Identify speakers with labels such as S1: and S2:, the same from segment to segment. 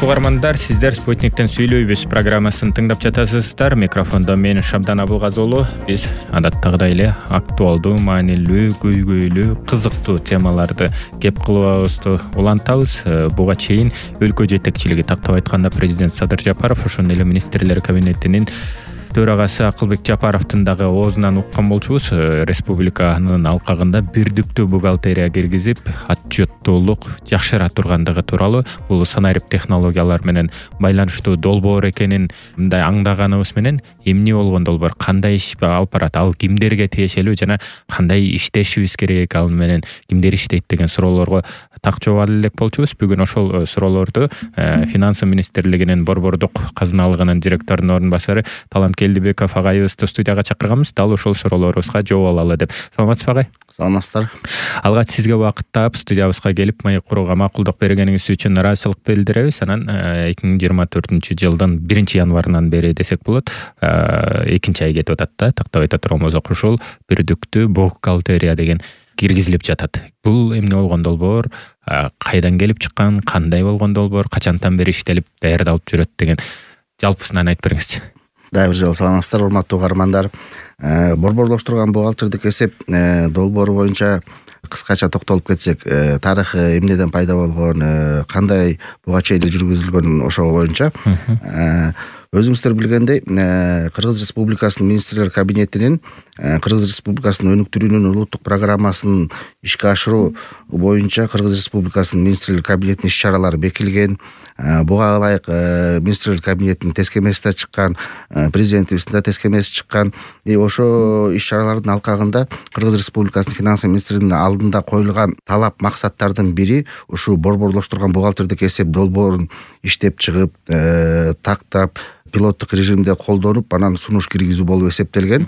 S1: Урматтуу угармандар, сиздер Спутниктен сүйлөйбүз программасын тыңдап жатасыздар. Микрофондо мен Шамдан Абылгазы. Биз адаттагыдай эле актуалдуу, маанилүү, көйгөйлүү, кызыктуу темаларды кеп кылыбызды улантабыз. Буга чейин өлкө жетекчилиги, тактап айтканда президент Садыр Жапаров, ошондой эле министрлер кабинетинин төрагасы Акылбек Жапаровдун дагы оозунан уккан болчубуз. Республиканын алкагында бирдиктүү бухгалтерия киргизип, отчеттуулук жакшыра тургандыгы тууралуу, бул санарип технологиялар менен байланыштуу долбоор экенин мындай аңдаганыбыз менен эмне болгон долбоор, кандай иш алып барат, ал кимдерге тиешелүү жана кандай иштешибиз керек, ал менен кимдер иштейт деген суроолорго так жооп ала элек болчубуз. Бүгүн ошол суроолорду Финансы министрлигинин борбордук казыналыгынын директорунун орун басары Талант Келдибеков агайыбызды студияга чакырганбыз. Дал ошол суроолорубузга жооп алалы деп. Саламатсызбы агай?
S2: Саламатсыздар.
S1: Алгач сизге убакыт таап студиябызга келип маек курууга макулдук бергениңиз үчүн ыраазычылык билдиребиз. Анан 2024-жылдын 1-январынан бери десек болот, 2 ай кетип атат да, тактап айта турган болсок, ушул бирдиктүү бухгалтерия деген киргизилип жатат. Бул эмне болгон долбоор, кайдан келип чыккан, кандай болгон долбоор, качантан бери иштелип даярдалып жүрөт деген жалпысынан айтып бериңизчи.
S2: Дагы бир жолу саламатсыздар, урматтуу угармандар. Борборлоштурган бухгалтердик эсеп долбоору боюнча кыскача токтолуп кетсек, тарыхы эмнеден пайда болгон, кандай буга чейин жүргүзүлгөн, ошол боюнча өзүңүздөр билгендей, Кыргыз Республикасынын министрлер кабинетинин Кыргыз Республикасынын өнүктүрүүнүн улуттук программасын ишке ашыруу боюнча Кыргыз Республикасынын министрлер кабинетинин иш-чаралары бекилген. Буга ылайык министрлер кабинетинин тескемеси да чыккан, президентибиздин да тескемеси чыккан. Ошо иш-чаралардын алкагында Кыргыз Республикасынын финансы министринин алдында коюлган талап максаттардын бири ушул борборлоштурган бухгалтердик эсеп долбоорун иштеп чыгып, тактап, пилоттук режимде колдонуп, анан сунуш киргизүү болуп эсептелген.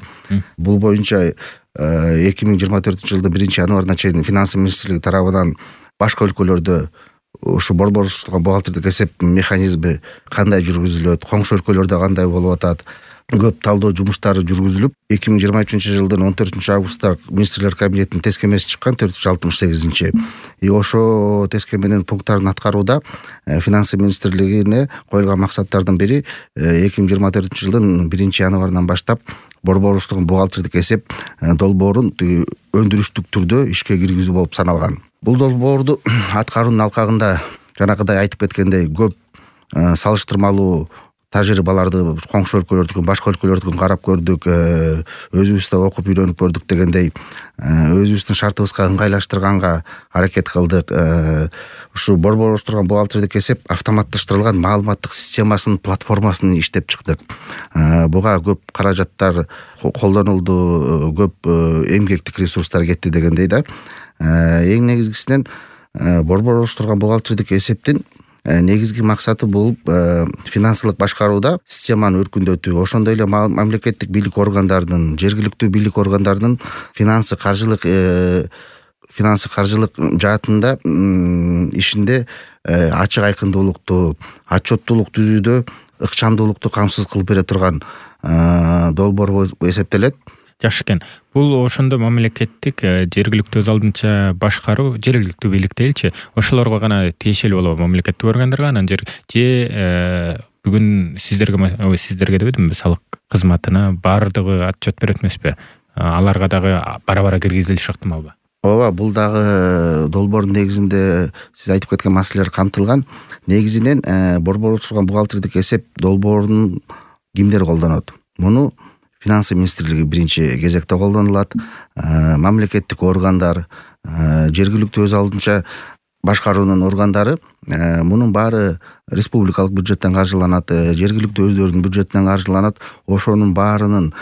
S2: Бул боюнча 2024-жылдын 1-январына чейин финансы министрлиги тарабынан башка өлкөлөрдө ушу борборлоштурган бухгалтердик эсеп механизми кандай жүргүзүлөт, коңшу өлкөлөрдө кандай болуп атат, көп талдоо жумуштары жүргүзүлүп, 2023-жылдын 14-августта министрлер кабинетинин тескемеси чыккан, 468. Ошо тескеменин пункттарын аткарууда финансы министрлигине коюлган максаттардын бири 2024-жылдын 1-январынан баштап борборлоштурган бухгалтердик эсеп долбоорун өндүрүштүк түрдө ишке киргизүү болуп саналган. Бул долбоорду аткаруунун алкагында жанагыдай айтып кеткендей көп салыштырмалуу тажрыйбаларды коңшу өлкөлөрдүкүн, башка өлкөлөрдүкүн карап көрдүк, өзүбүз да окуп үйрөнүп көрдүк дегендей, өзүбүздүн шартыбызга ыңгайлаштырганга аракет кылдык. Ушу борборлоштурган бухгалтердик эсеп автоматташтырылган маалыматтык системасынын платформасын иштеп чыктык. Буга көп каражаттар колдонулду, көп эмгектик ресурстар кетти дегендей да. Эң негизгисинен борборлоштурган бухгалтердик эсептин негизги максаты болуп финансылык башкарууда системаны өркүндөтүү, ошондой эле мамлекеттик бийлик органдарынын, жергиликтүү бийлик органдарынын финансы каржылык жаатында ишинде ачык айкындуулукту, отчеттуулук түзүүдө ыкчамдуулукту камсыз кылып бере турган долбоор болуп эсептелет.
S1: Жакшы экен. Бул ошондо мамлекеттик, жергиликтүү өз алдынча башкаруу, жергиликтүү бийлик дейилчи, ошолорго гана тиешелүү болобу, мамлекеттик органдарга? Анан же бүгүн сиздерге дебедимби, салык кызматына баардыгы отчет берет эмеспи? Аларга дагы бара-бара киргизилиши ыктымалбы?
S2: Ооба, бул дагы долбоордун негизинде сиз айтып кеткен маселелер камтылган. Негизинен борборлоштурган бухгалтердик эсеп долбоорун кимдер колдонот? Муну Финансы министрлиги биринчи кезекте колдонулат. Мамлекеттик органдар, жергиликтүү өз алдынча башкаруунун органдары, мунун баары республикалык бюджеттен каржыланат, жергиликтүү өздөрүнүн бюджетинен каржыланат. Ошонун баарынын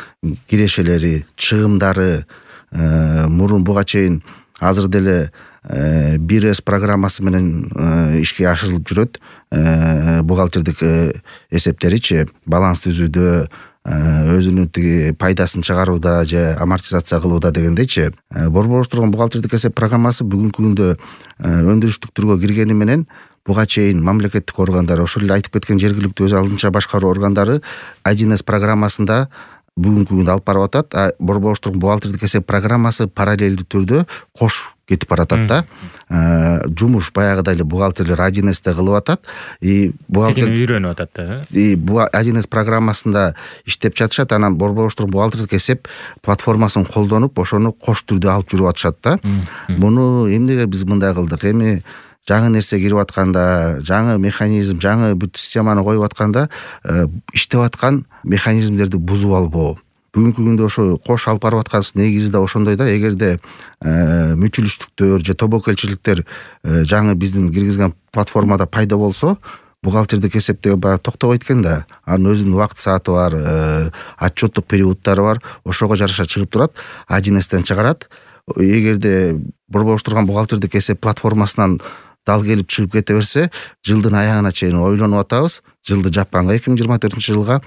S2: кирешелери, чыгымдары мурун буга чейин азыр деле 1С программасы менен ишке ашырылып жүрөт. Бухгалтердик эсептеричи баланс түзүүдө, өзүнүн пайдасын чыгарууда же амортизация кылууда дегендейчи. Борборлоштурган бухгалтердик эсеп программасы бүгүнкү күндө өндүрүштүк түргө киргени менен буга чейин мамлекеттик органдар, ошол эле айтып кеткен жергиликтүү өз алдынча башкаруу органдары 1С программасында бүгүнкү күндө алып барып атат. Борборлоштурган бухгалтердик эсеп программасы параллелдүү түрдө кош кетип баратат да. Жумуш баягыдай эле бухгалтерлер 1С'те кылып атат.
S1: Бухгалтер үйрөнүп атат да.
S2: 1С программасында иштеп жатышат. Анан борборлоштурук бухгалтердик эсеп платформасын колдонуп, ошону кош түрдө алып жүрүп атышат да. Муну эмнеге биз мындай кылдык? Эми жаңы нерсе кирип атканда, жаңы механизм, жаңы бүт системаны коюп атканда иштеп аткан механизмдерди бузуп албоо. Бүгүнкү күндө ошо кош алып барып аткан негизи да ошондой да. Эгерде мүчүлүштүктөр же тобокелчиликтер жаңы биздин киргизген платформада пайда болсо, бухгалтердик эсептеги баягы токтобойт экен да. Анын өзүнүн убакыт сааты бар, отчеттук периоддары бар. Ошого жараша чыгып турат, 1Стен чыгарат. Эгерде борборлоштурган бухгалтердик эсеп платформасынан дал келип чыгып кете берсе, жылдын аягына чейин ойлонуп атабыз. Жылды жапканга 2024-жылга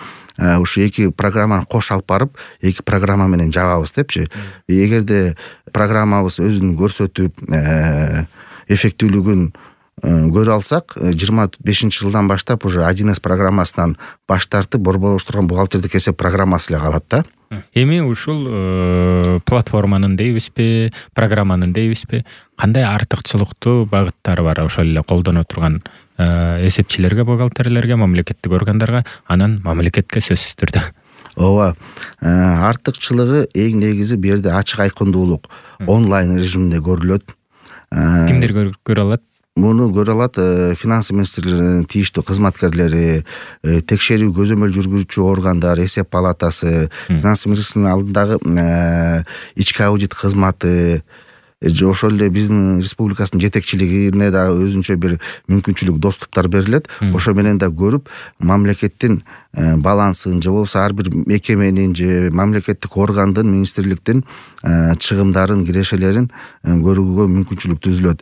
S2: ушу эки программаны кош алып барып, эки программа менен жабабыз депчи. Эгерде программабыз өзүн көрсөтүп, эффектүүлүгүн көрө алсак, 25-жылдан баштап уже 1С программасынан баш тартып борборлоштурган бухгалтердик эсеп программасы эле калат да.
S1: Эми ушул платформанын дейбизби, программанын дейбизби, кандай артыкчылыктуу багыттары бар ошол эле колдоно турган эсепчилерге, бухгалтерлерге, мамлекеттик органдарга, анан мамлекетке сөзсүз түрдө?
S2: Ооба. Артыкчылыгы эң негизи бу жерде ачык айкындуулук онлайн режиминде көрүлөт.
S1: Кимдер көрө алат?
S2: Муну көрө алат финанс министрлигинин тийиштүү кызматкерлери, текшерүү көзөмөл жүргүзүүчү органдар, эсеп палатасы, финанс министрлигинин алдындагы ички аудит кызматы, ошол эле биздин республикасынын жетекчилигине да өзүнчө бир мүмкүнчүлүк, доступтар берилет. Ошо менен да көрүп, мамлекеттин балансын же болбосо ар бир мекеменин же мамлекеттик органдын, министрликтин чыгымдарын, кирешелерин көрүүгө мүмкүнчүлүк түзүлөт.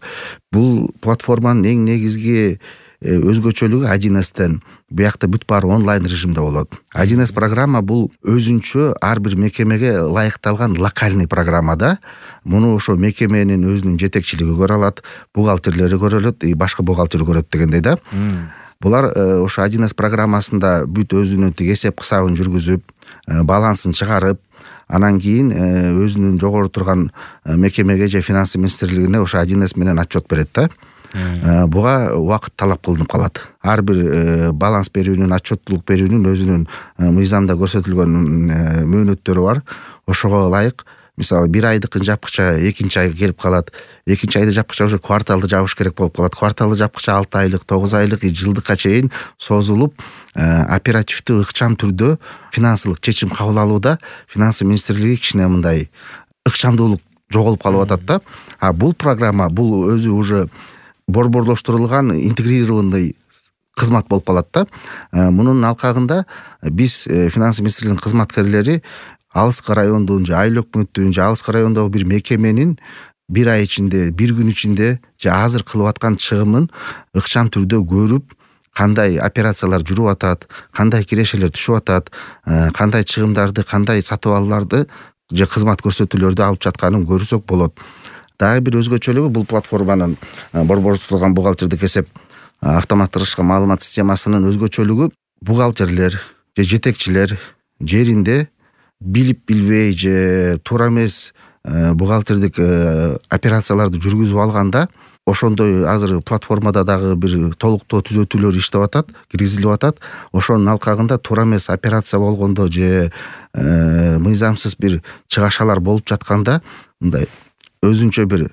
S2: Бул платформанын эң негизги өзгөчөлүгү 1Стен буякта бүт баары онлайн режимде болот. 1С программа бул өзүнчө ар бир мекемеге ылайыкталган локальный программа да. Муну ошо мекеменин өзүнүн жетекчилиги көрө алат, бухгалтерлери көрө алат, башка бухгалтер көрөт дегендей да. Булар ошо 1С программасында бүт өзүнүн эсеп кысабын жүргүзүп, балансын чыгарып, анан кийин өзүнүн жогору турган мекемеге же финанс министрлигине ошо 1С менен отчет берет да. Буга убакыт талап кылынып калат. Ар бир баланс берүүнүн, отчеттуулук берүүнүн өзүнүн мыйзамда көрсөтүлгөн мөөнөттөрү бар. Ошого ылайык, мисалы 1 айдыкын жапкыча 2-нчи айга келип калат. 2-нчи айда жапкыча уже кварталды жабыш керек болуп калат. Кварталды жапкыча 6 айлык, 9 айлык, жылдыкка чейин созулуп, оперативдүү, ыкчам түрдө финансылык чечим кабыл алууда финанс министрлиги кичине мындай ыкчамдуулук жоголуп калып атат да. Бул программа, бул өзү уже борборлоштурулган интегрированный кызмат болуп калат да. Мунун алкагында биз финанс министрлигинин кызматкерлери алыскы райондун же айыл өкмөттүн же алыскы райондогу бир мекеменин 1 ай ичинде, 1 күн ичинде же азыр кылып аткан чыгымын ыкчам түрдө көрүп, кандай операциялар жүрүп атат, кандай кирешелер түшүп атат, кандай чыгымдарды, кандай сатып алууларды же кызмат көрсөтүүлөрдү алып жатканын көрсөк болот. Дагы бир өзгөчөлүгү бул платформанын борборлоштурулган бухгалтердик эсеп автоматташкан маалымат системасынын өзгөчөлүгү бухгалтерлер же жетекчилер жеринде билип билбей же туура эмес бухгалтердик операцияларды жүргүзүп алганда, ошондой азыр платформада дагы бир толуктоо түзөтүүлөр иштеп атат, киргизилип атат. Ошонун алкагында туура эмес операция болгондо же мыйзамсыз бир чыгашалар болуп жатканда, мындай өзүнчө бир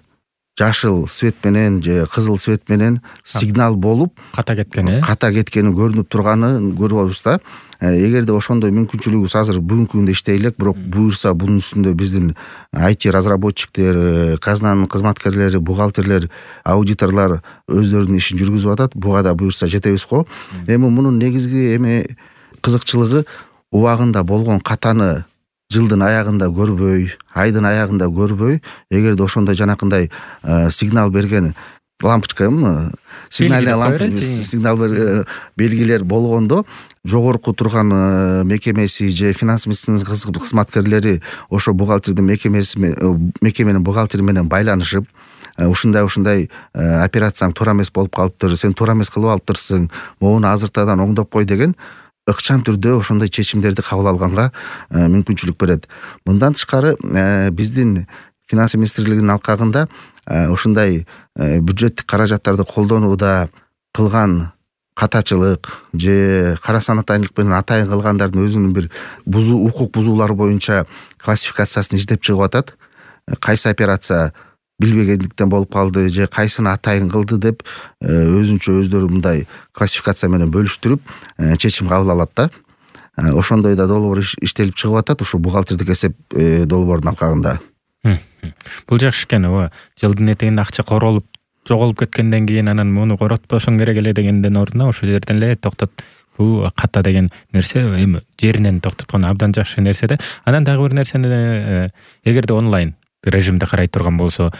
S2: жашыл свет менен же кызыл свет менен сигнал болуп
S1: ката кеткени көрүнүп турганын көрүбүз да. Эгерде ошондой мүмкүнчүлүгүбүз азыр бүгүнкү күндө иштей элек, бирок буюрса бунун үстүндө биздин IT разработчиктер, казнанын кызматкерлери, бухгалтерлер, аудиторлор өздөрүнүн ишин жүргүзүп атат. Буга да буюрса жетебиз го. Эми мунун негизги кызыкчылыгы убагында болгон катаны жылдын аягында көрбөй, айдын аягында көрбөй, эгерде ошондой жанакындай сигнал берген лампочка, сигнал белгилер болгондо, жогорку турган мекемеси же финанс министрлигинин кызматкерлери ошо бухгалтердин мекеменин бухгалтери менен байланышып, ушундай операцияң туура эмес болуп калыптыр, сен туура эмес кылып алыптырсың, могуну азыртадан оңдоп кой деген ыкчам түрдө ошондой чечимдерди кабыл алганга мүмкүнчүлүк берет. Мындан тышкары биздин финанс министрлигинин алкагында
S2: ушундай бюджеттик каражаттарды колдонууда кылган катачылык же кара санатайлык менен атайын кылгандардын өзүнүн бир укук бузуулары боюнча классификациясын издеп чыгып атат. Кайсы операция билбегендиктен болуп калды же кайсыны атайын кылды деп өзүнчө өздөрү мындай классификация менен бөлүштүрүп чечим кабыл алат да. Ошондой да долбоор иштелип чыгып атат ушу бухгалтердик эсеп долбоордун алкагында.
S1: Бул жакшы экен. Жылдын этегинде акча королуп жоголуп кеткенден кийин анан муну коротпошоң керек эле дегенден ордуна ошол жерден эле токтот. Бул ката деген нерсе эми жеринен токтоткон абдан жакшы нерсе да. Анан дагы бир нерсени эгерде онлайн режимде карай турган болсо,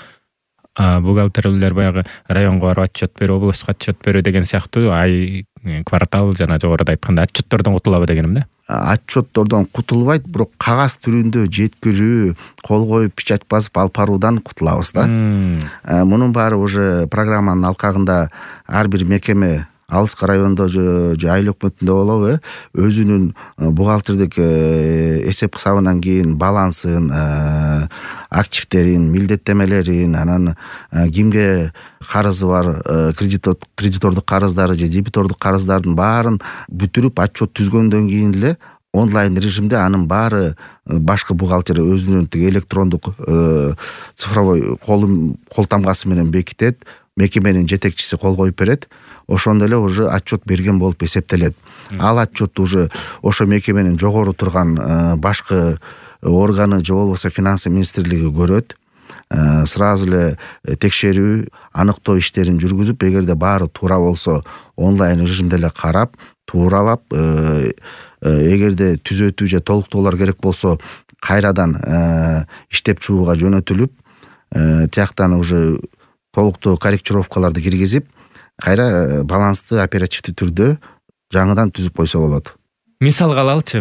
S1: бухгалтерлер баягы районго барып отчет берүү, областка отчет берүү деген сыяктуу ай, квартал жана жогоруда айтканда отчеттордон кутулабы дегеним да.
S2: Отчеттордон кутулбайт, бирок кагаз түрүндө жеткирүү, кол коюп печать басып алып баруудан кутулабыз да. Мунун баары уже программанын алкагында ар бир мекеме алыскы райондо же айыл өкмөтүндө болобу, өзүнүн бухгалтердик эсеп кысабынан кийин балансын, активдерин, милдеттемелерин, анан кимге карызы бар, кредитордук карыздары же дебитордук карыздардын баарын бүтүрүп отчет түзгөндөн кийин эле онлайн режимде анын баары башкы бухгалтер өзүнүн электрондук цифровой кол тамгасы менен бекитет, мекеменин жетекчиси кол коюп берет. Ошондо эле уже отчет берген болуп эсептелет. Ал отчетту уже ошо мекеменин жогору турган башкы органы же болбосо финансы министрлиги көрөт. Сразу эле текшерүү, аныктоо иштерин жүргүзүп, эгерде баары туура болсо онлайн режимде эле карап, тууралап, эгерде түзөтүү же толуктоолор керек болсо кайрадан иштеп чыгууга жөнөтүлүп, тияктан уже толуктуу корректировкаларды киргизип, кайра балансты оперативдүү түрдө жаңыдан түзүп койсо болот.
S1: Мисалга алалычы,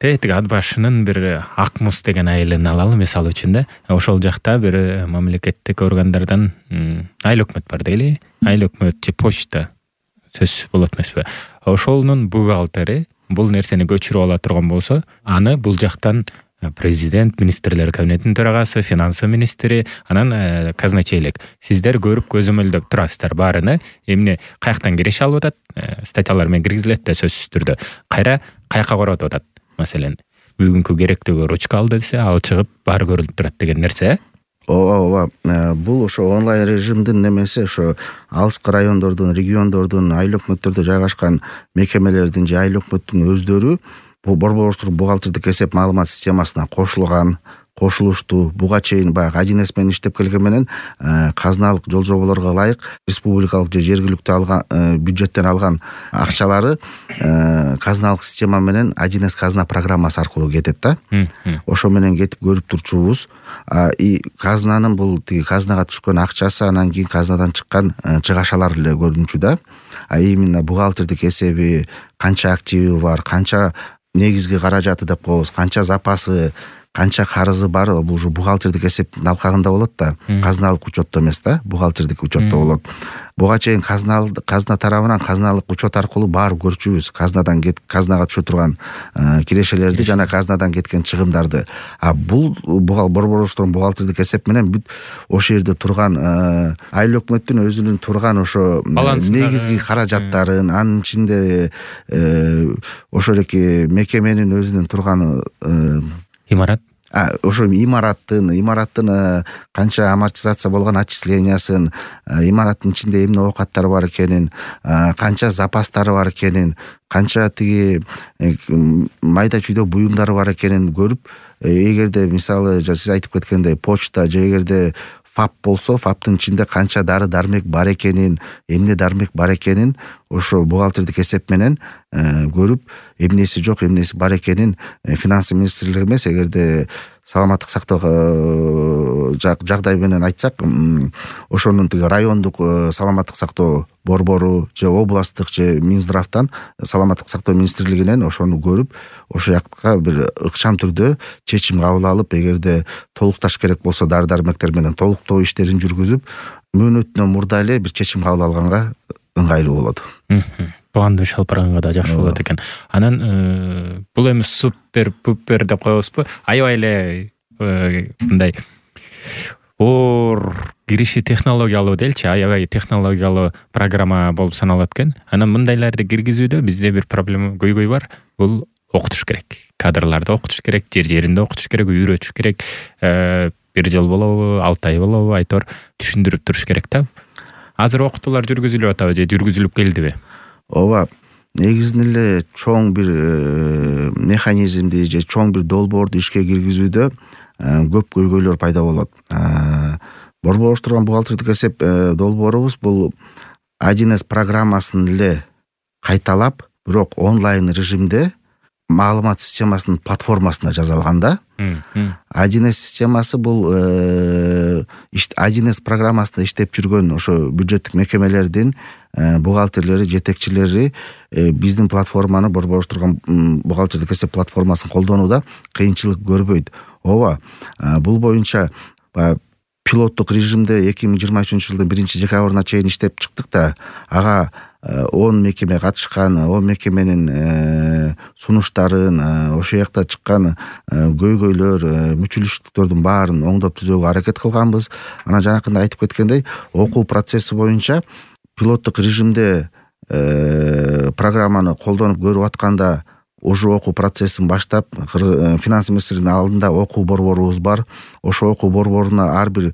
S1: тетик ат башынын бир Акмус деген айылын алалы мисалы үчүн да. Ошол жакта бир мамлекеттик органдардан айыл өкмөт бар дейли. Айыл өкмөт же почта сөз болот эмеспи? Ошонун бухгалтери бул нерсени көчүрүп ала турган болсо, аны бул жактан президент, министрлер кабинетинин төрагасы, финансы министри, анан казначейлик. Сиздер көрүп көзөмөлдөп турасыздар баарыны. Эмне каяктан киреше алып атат, статьялар менен киргизилет да сөзсүз түрдө. Кайра каяка коротуп атат. Маселен, бүгүнкү керектүү ручка алды десе, ал чыгып баары көрүлүп турат деген нерсе.
S2: Ооба, бул ошо онлайн режимдин немеси, ошо алыскы райондордун, региондордун, айыл өкмөттөрдө жайгашкан мекемелердин же айыл өкмөттүн өздөрү бул борборуштук бухгалтердик эсеп маалымат системасына кошулушту. Буга чейин баягы 1С менен иштеп келген менен казыналык жол жоболорго ылайык республикалык же жергиликтүү алган бюджеттен алган акчалары казыналык система менен 1С казына программасы аркылуу кетет да. Ошо менен кетип көрүп турчубуз. Казынанын бул казынага түшкөн акчасы анан кийин казынадан чыккан чыгашалар эле көрүнчү да. Именно бухгалтердик эсеби, канча активи бар, канча негизги каражаты деп коебуз, канча запасы, канча карызы бар, бул ушу бухгалтердик эсептин алкагында болот да. Казыналык учетто эмес да, бухгалтердик учетто болот. Буга чейин казына тарабынан казыналык учет аркылуу баары көрчүбүз. Казынага түшө турган кирешелерди жана казынадан кеткен чыгымдарды. Бул борборуштук бухгалтердик эсеп менен бүт ошол жерде турган айыл өкмөттүн өзүнүн турган ошо негизги каражаттарын, анын ичинде ошол эки мекеменин өзүнүн турган
S1: имарат,
S2: ошо имараттын канча амортизация болгон отчислениясын, имараттын ичинде эмне оокаттар бар экенин, канча запастары бар экенин, канча майда чүйдө буюмдары бар экенин көрүп, эгерде мисалы сиз айтып кеткендей почта же эгерде ФАП болсо, ФАПтын ичинде канча дары дармек бар экенин, эмне дармек бар экенин ошо бухгалтердик эсеп менен көрүп, эмнеси жок, эмнеси бар экенин финансы министрлиги эмес, эгерде саламаттык сактоо жагдай менен айтсак, ошонун райондук саламаттык сактоо борбору же областтык же Минздравтан, саламаттык сактоо министрлигинен ошону көрүп, ошол жакка бир ыкчам түрдө чечим кабыл алып, эгерде толукташ керек болсо дары дармектер менен толуктоо иштерин жүргүзүп, мөөнөтүнөн мурда эле бир чечим кабыл алганга ыңгайлуу болот.
S1: Планды шалпырганга да жакшы болот экен. Анан бул эми супер деп коебузбу? Аябай эле мындай оор кириши технологиялуу делчи, аябай технологиялуу программа болуп саналат экен. Анан мындайларды киргизүүдө бизде бир проблема көйгөй бар. Бул окутуш керек. Кадрларды окутуш керек, жеринде окутуш керек, үйрөтүш керек. Бир жыл болобу, 6 ай болобу, айтор түшүндүрүп туруш керек да. Азыр окутуулар жүргүзүлүп атабы же жүргүзүлүп келдиби?
S2: Ооба. Негизинен эле чоң бир механизмди же чоң бир долбоорду ишке киргизүүдө көп көйгөйлөр пайда болот. Борборуштурган бухгалтердик эсеп долбоорубуз бул 1С программасын эле кайталап, бирок онлайн режимде маалымат системасынын платформасында жазалган да. 1С системасы бул 1С программасында иштеп жүргөн ошо бюджеттик мекемелердин бухгалтерлери, жетекчилери биздин платформаны, борборуштурган бухгалтердик эсеп платформасын колдонууда кыйынчылык көрбөйт. Ооба, бул боюнча пилоттук режимде 2023 жылдын 1-декабрына чейин иштеп чыктык да, ага 10 мекеме катышкан, 10 мекеменин сунуштарын, ошол жакта чыккан көйгөйлөр, мүчүлүштүктөрдүн баарын оңдоп түзүүгө аракет кылганбыз. Анан жанакында айтып кеткендей, окуу процесси боюнча пилоттук режимде программаны колдонуп көрүп атканда уже окуу процессин баштап, финанс министринин алдында окуу борборубуз бар. Ошо окуу борборуна ар бир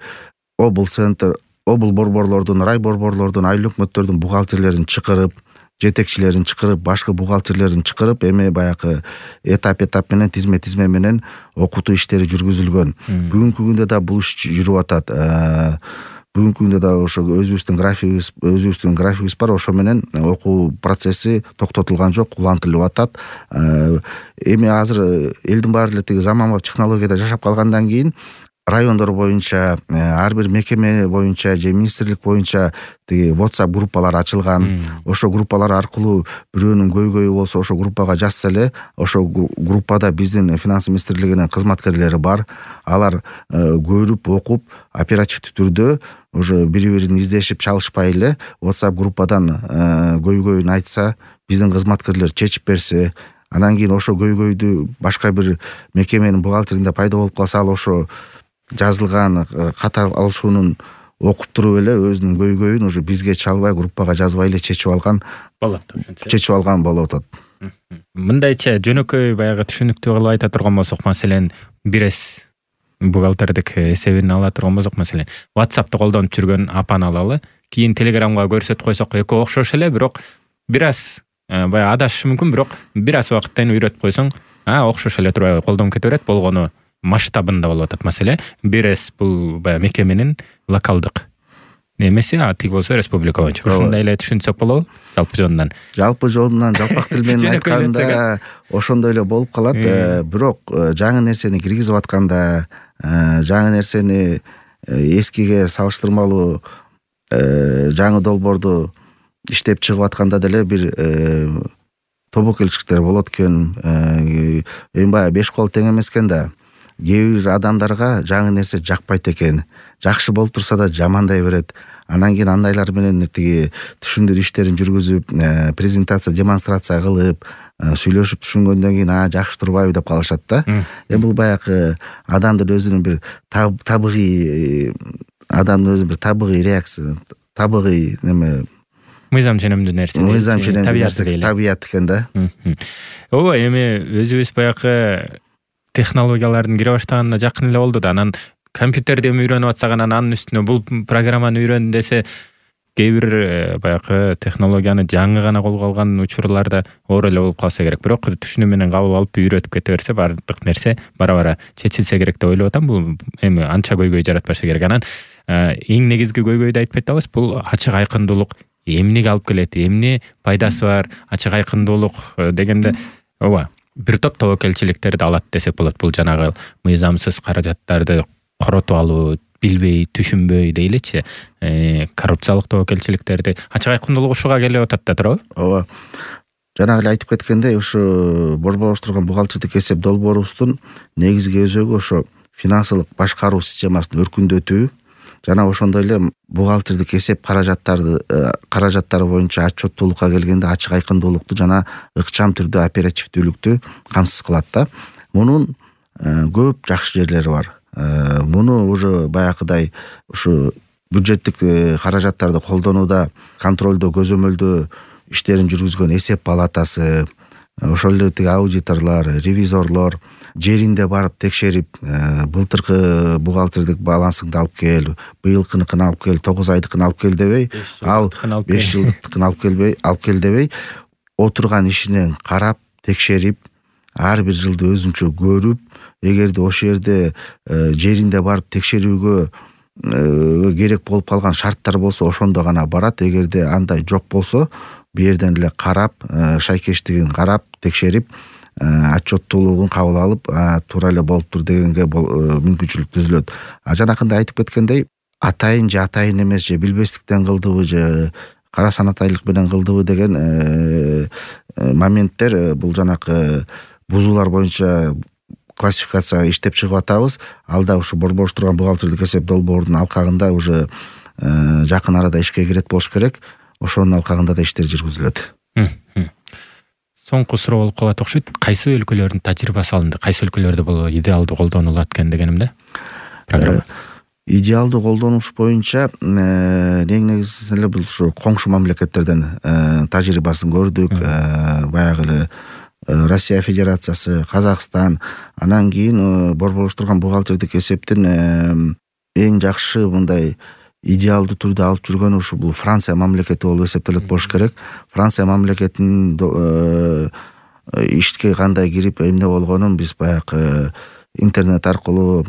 S2: обл борборлордун, рай борборлордун, айыл өкмөттөрдүн бухгалтерлерин чакырып, жетекчилерин чакырып, башка бухгалтерлерин чакырып, эми баягы этап менен, тизме менен окутуу иштери жүргүзүлгөн. Бүгүнкү күндө да бул иш жүрүп атат. Бүгүнкү күндө да ошо өзүбүздүн графигибиз бар, ошо менен окуу процесси токтотулган жок, улантылып атат. Эми азыр элдин баары эле тиги заманбап технологияда жашап калгандан кийин райондор боюнча, ар бир мекеме боюнча же министрлик боюнча тиги WhatsApp группалар ачылган. Ошо группалар аркылуу бирөөнүн көйгөйү болсо, ошо группага жазса эле, ошо группада биздин финанс министрлигинин кызматкерлери бар. Алар көрүп, окуп, оперативдүү түрдө уже бири-бирин издешип чалышпай эле WhatsApp группадан көйгөйүн айтса, биздин кызматкерлер чечип берсе, анан кийин ошо көйгөйдү башка бир мекеменин бухгалтеринде пайда болуп калса, ал ошо жазылган ката алышуунун окуп туруп эле өзүнүн көйгөйүн уже бизге чалбай, группага жазбай эле чечип алган болуп атат.
S1: Мындайча жөнөкөй баягы түшүнүктүү кылып айта турган болсок, маселен 1С бухгалтердик эсебин ала турган болсок, маселен WhatsApp'ты колдонуп жүргөн апаны алалы, кийин Telegramга көрсөтүп койсок, экөө окшош эле, бирок бир аз баягы адашышы мүмкүн, бирок бир аз убакыттан өйрөтүп койсоң, окшош эле турбайбы, колдонуп кете берет. Болгону масштабында болуп атат маселе. 1С бул баягы мекеменин локалдык немеси, тиги болсо республика боюнча. Ошондой эле түшүнсөк болобу? Жалпы жолунан жалпак тил менен айтканда ошондой эле болуп калат. Бирок жаңы нерсени киргизип атканда, жаңы нерсени эскиге салыштырмалуу жаңы долбоорду иштеп чыгып атканда деле бир тобокелчиликтер болот экен. Эми баягы 5 кол тең эмес экен да. Кээ бир адамдарга жаңы нерсе жакпайт экен. Жакшы болуп турса да жамандай берет. Анан кийин андайлар менен тиги түшүндүрүү иштерин жүргүзүп, презентация, демонстрация кылып, сүйлөшүп түшүнгөндөн кийин жакшы турбайбы деп калышат да. Бул баягы адамдын өзүнүн бир табигый реакция, табигый неме, мыйзам ченемдүү нерсе.
S2: Табият экен да.
S1: Ооба, эми өзүбүз баягы технологиялардын кире баштаганына жакын эле болду да. Анан компьютерди эми үйрөнүп атсак, анын үстүнө бул программаны үйрөн десе, кээ бир баягы технологияны жаңы гана колго алган учурларда оор эле болуп калса керек. Бирок түшүнүү менен кабыл алып үйрөтүп кете берсе, бардык нерсе бара-бара чечилсе керек деп ойлоп атам. Бул эми анча көйгөй жаратпашы керек. Анан эң негизги көйгөйдү айтпай атабыз, бул ачык айкындуулук эмнеге алып келет, эмне пайдасы бар, ачык айкындуулук дегенде, ооба, бир топ тобокелчиликтерди алат десек болот. Бул жанагы мыйзамсыз каражаттарды коротуп алуу, билбей, түшүнбөй дейличи, коррупциялык тобокелчиликтерди, ачык айкындуулук ушуга келип атат да туурабы?
S2: Ооба. Жанагы эле айтып кеткендей, ушу борборуштурган бухгалтердик эсеп долбоорубуздун негизги өзөгү ошо финансылык башкаруу системасын өркүндөтүү, жана ошондой эле бухгалтердик эсеп каражаттары боюнча отчеттуулукка келгенде ачык айкындуулукту жана ыкчам түрдө оперативдүүлүктү камсыз кылат да. Мунун көп жакшы жерлери бар. Муну уже баягыдай ушу бюджеттик каражаттарды колдонууда контролдоо көзөмөлдөө иштерин жүргүзгөн эсеп палатасы, ошол эле тиги аудиторлор, ревизорлор жеринде барып текшерип, былтыркы бухгалтердик балансыңды алып кел, быйылкыныкын алып кел, 9 айдыкын алып кел дебей, ал 5 жылдыкын алып кел дебей, отурган ишинен карап, текшерип, ар бир жылды өзүнчө көрүп, эгерде ошол жерде жеринде барып текшерүүгө керек болуп калган шарттар болсо ошондо гана барат. Эгерде андай жок болсо, бу жерден эле карап, шайкештигин карап, текшерип, отчеттуулугун кабыл алып, туура эле болуптур дегенге мүмкүнчүлүк түзүлөт. Жанакында айтып кеткендей, атайын же атайын эмес, же билбестиктен кылдыбы, же кара санатайлык менен кылдыбы деген моменттер, бул жанакы бузуулар боюнча классификация иштеп чыгып атабыз. Алда ушу борборуштурган бухгалтердик эсеп долбоорунун алкагында уже жакын арада ишке кирет болуш керек. Ошонун алкагында да иштер жүргүзүлөт.
S1: Соңку суроо болуп калат окшойт. Кайсы өлкөлөрдүн тажрыйбасы алынды? Кайсы өлкөлөрдө бул идеалдуу колдонулат экен дегенимде? Программа
S2: идеалдуу колдонуш боюнча негизинен эле бул ушу коңшу мамлекеттерден тажрыйбасын көрдүк. Баягы эле Россия Федерациясы, Казакстан, анан кийин борборуштурган бухгалтердик эсептин эң жакшы мындай идеалдуу түрдө алып жүргөнү ушу бул Франция мамлекети болуп эсептелет болуш керек. Франция мамлекетинин ишке кандай кирип эмне болгонун биз баягы интернет аркылуу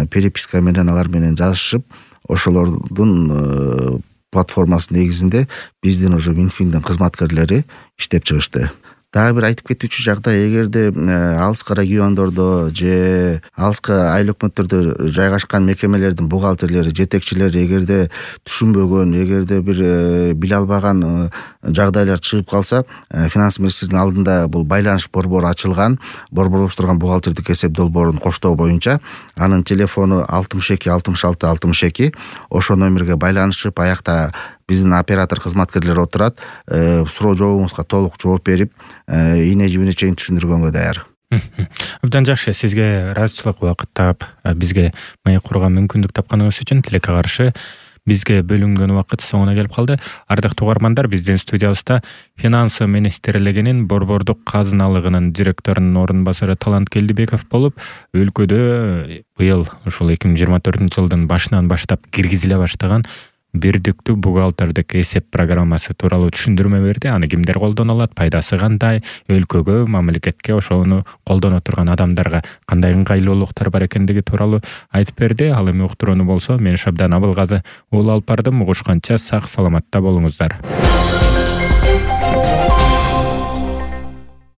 S2: переписка менен алар менен жазышып, ошолордун платформасы негизинде биздин уже Минфиндин кызматкерлери иштеп чыгышты. Дагы бир айтып кетүүчү жагдай, эгерде алыскы региондордо же алыскы айыл өкмөттөрдө жайгашкан мекемелердин бухгалтерлери, жетекчилери эгерде түшүнбөгөн, эгерде бир биле албаган жагдайлар чыгып калса, финанс министринин алдында бул байланыш борбору ачылган. Борборуштурган бухгалтердик эсеп долбоорун коштоо боюнча анын телефону 62 66 62. Ошол номерге байланышып, аякта биздин оператор кызматкерлери отурат, суроо жообуңузга толук жооп берип, ийне жибине чейин түшүндүргөнгө даяр.
S1: Абдан жакшы, сизге ыраазычылык убакыт таап, бизге маек курууга мүмкүндүк тапканыңыз үчүн тилекке каршы бизге бөлүнгөн убакыт соңуна келип калды. Ардактуу угармандар, биздин студиябызда Финанс министрлигинин борбордук казыналыгынын директорунун орун басары Талант Келдибеков болуп, өлкөдө быйыл ушул 2024-жылдын башынан баштап киргизиле баштаган бирдиктүү бухгалтердик эсеп программасы тууралуу түшүндүрмө берди. Аны кимдер колдоно алат, пайдасы кандай, өлкөгө, мамлекетке, ошону колдоно турган адамдарга кандай ыңгайлуулуктар бар экендиги тууралуу айтып берди. Ал эми уктурууну болсо, мен Шабдан Абылгазы уулу алып бардым. Угушканча сак саламатта болуңуздар.